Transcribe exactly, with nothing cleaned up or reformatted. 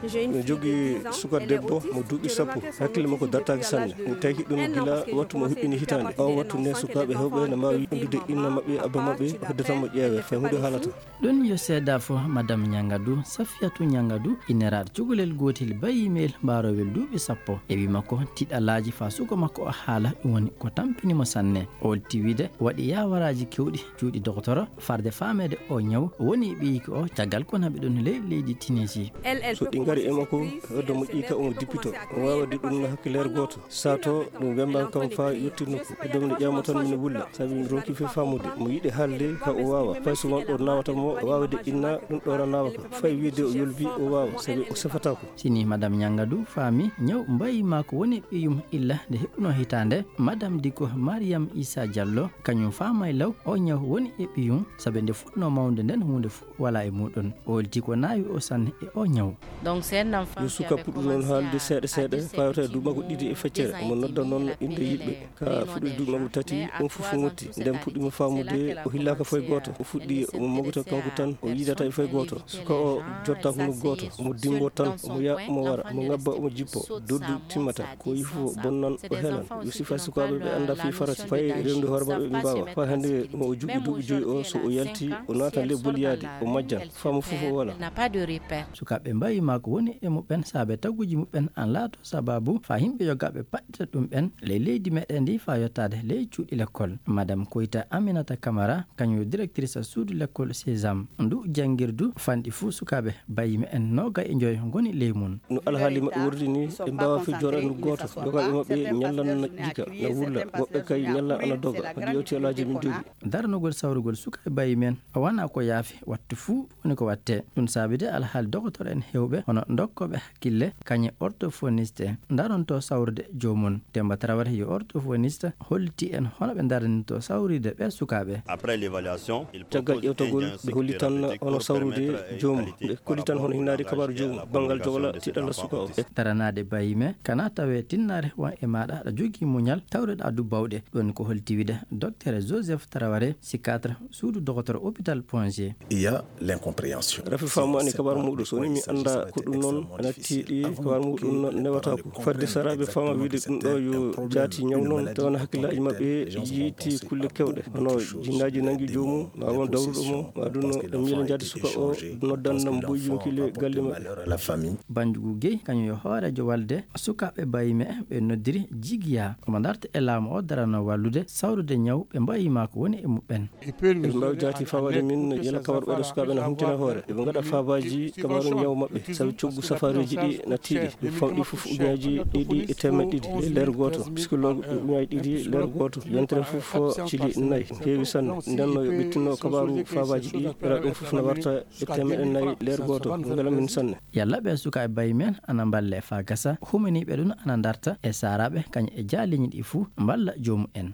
Miɗo jogii suka debbo mo duuɓi sappo, hakkille makko dartaaki sanne. Mi tawki ɗum gila wattu mo huɓɓini hitaande. On wattu ne sukaaɓe heewɓe ne mbaawi anndude inna maɓɓe, abba maɓɓe, hoddata mo ƴeewe, fay huunde haalata. Ɗum yo seedaa fof, Madame Ñangadu, Safiyatu Ñangadu, inneraaɗo cukalel gootel bayiimel mbaarowel duuɓi sappo. E wi makko, tiɗalaaji faa suka makko o haala, ɗum woni ko tampini mo sanne. O holti wiide waɗi yaawaraaji keewɗi, juuɗe dokotoro, farde faameede o ñaw, woni e ɓiyiiko o, caggal ko naɓi ɗum ley leydi Tunisie. So ɗi ngari e makko, heddo moƴƴi ka omo dippito. O waawa waɗde ɗum no hakke leer gooto. Sato ɗum wemban kam faa yettii nokku. Heddo mi no ƴaamo tan mi no wulla. Sabi mi ronki fe faamude. Mo yiɗi haalde ka o waawa. Fay so won ɗo nawata mo, o waawa de inna ɗum ɗo ra nawaka. Fay wiide o yolbi o waawa. Sabi o sefataako. Sini Madame Ñangadu faami ñaw mbayi maa ko woni ɓiyum illa nde heɓuno hitaande. Madame Diko Mariam Issa Diallo, kañum faamay law o ñaw woni e ɓiyum. Sabi nde fuɗno mawde nden huunde fof wala e muɗum. O holti ko naawi o sanne e o ñaw. Donc, c'est un enfant Yo qui suka avait puɗɗo noon commencé haalde à, seeɗa à seeɗa, dix-sept fayota e pieds duuɓi makko ɗiɗi e feccere. Omo nodda noon inde yimɓe. Ka fuɗɗo duuɓi makko tati, ɗum fof o motti. Nden puɗɗima faamude o hillaaka foy gooto. O fuɗɗi omo mogota kanko tan, o yiidata e foy gooto. Suka o jotta ko no gooto, omo dimbo tan, omo ya, omo wara, omo ngabba, omo jippo. Doddu timmata, ko yi fof bonnan o helan. Yo sifa sukaaɓe ɓe annda fii farati, fay rewde hoore maɓɓe ɓe mbaawa. Faa hannde mo o juɓɓi duuɓi joyi o, so o yalti, o naatan le boliyaade, o majjan. Faamu fof o wala. N'a pas de repère. Sukaaɓe mbayi maa ko woni e muɓɓen saabe taguuji muɓɓen an laato sababu faa yimɓe yogaaɓe paɗɗita ɗum ɓen ley leydi meɗen ndi faa yottaade ley cuuɗi lekkol. Madame Koyta Aminata Camara, kañum directrice suudu lekkol Sésame. Ndu janngirdu fanɗi fuu sukaaɓe bayi me en noogay e joyo ngoni ley mum. No alhaali maɓɓe wordi ni, ɓe mbaawa fi joraandu gooto. Yogaaɓe maɓɓe ñallan na ƴika, na wulla. Woɓɓe kay ñallan ana doga. Ɗi o tiyalaaji min jogii. Darnugol sawrugol sukaaɓe bayi men, o wona ko yaafi wattu fuu woni ko watte. Ɗum saabi de alhaali dogotoro en heewɓe, hono dokkooɓe hakkille, kañe orthophoniste, daronto sawrude joomum. Demba Traoré yo orthophoniste, holliti en hono ɓe daranirto sawrude ɓe sukaaɓe. Après l'évaluation, il Caggal propose ƴeewtagol, un ɓe hollitan hono sawrude joomum. Ɓe kollitan hono hinnaade kabaaru joomum, banngal jogla tiɗalla suka o. Daranaade bayi me, kana tawe tinnaare won e maaɗa, aɗa jogii muñal, tawreɗa du bawɗe. Ɗum ko holti wiide Docteur Joseph Traoré, psychiatre, suudu dogotoro hôpital Pongier. Il y a l'incompréhension. Rafi faamu ani kabaaru muɗum, so woni mi annda ko ɗum noon, ana tiiɗi, kabaaru muɗum newata ko. Fadde saraaɓe faama wiide ɗum ɗo yo jaati ñaw noon, tawana hakkillaaji maɓɓe yiiti kulle kewɗe, hono jinnaaji nangi joomum, ma won dawruɗo mo, ma ɗum no e miila njaadi suka o, noddan nam mboy yonki le galle maɓɓe. Banjugu Guèye, kañum yo hooreejo walde sukaaɓe bayi me ɓe noddiri Jigiya. Omo darta e laamu o darano wallude sawrude ñaw ɓe mbayi maa ko woni e muɓɓen. Eɓe mbaawi jaati fawaade min yala kabar ɓeɗo sukaaɓe na humtina hoore. Eɓe ngaɗa fabaaji kabaru ñaw maɓɓe. Sabi coggu safaareeji ɗi na tiiɗi. Ɗum famɗi fof ujunnaaji ɗiɗi e teemeɗɗe ɗiɗi e leer gooto. Psikoloog ujunnaaji ɗiɗi leer gooto. Yontere fof cili nayi. Heewi sanne. Nden no yo ɓe tinno kabaru fabaaji ɗi. Ɓera ɗum fof na warta e teemeɗɗe nayi leer gooto. Mbela min sanne. Yalla ɓe sukaaɓe bayi men ana mballe faa gasa. Humaniiɓe ɗum ana darta e saaraaɓe kañum e jaaliñi ɗi fuu mballa joomum en.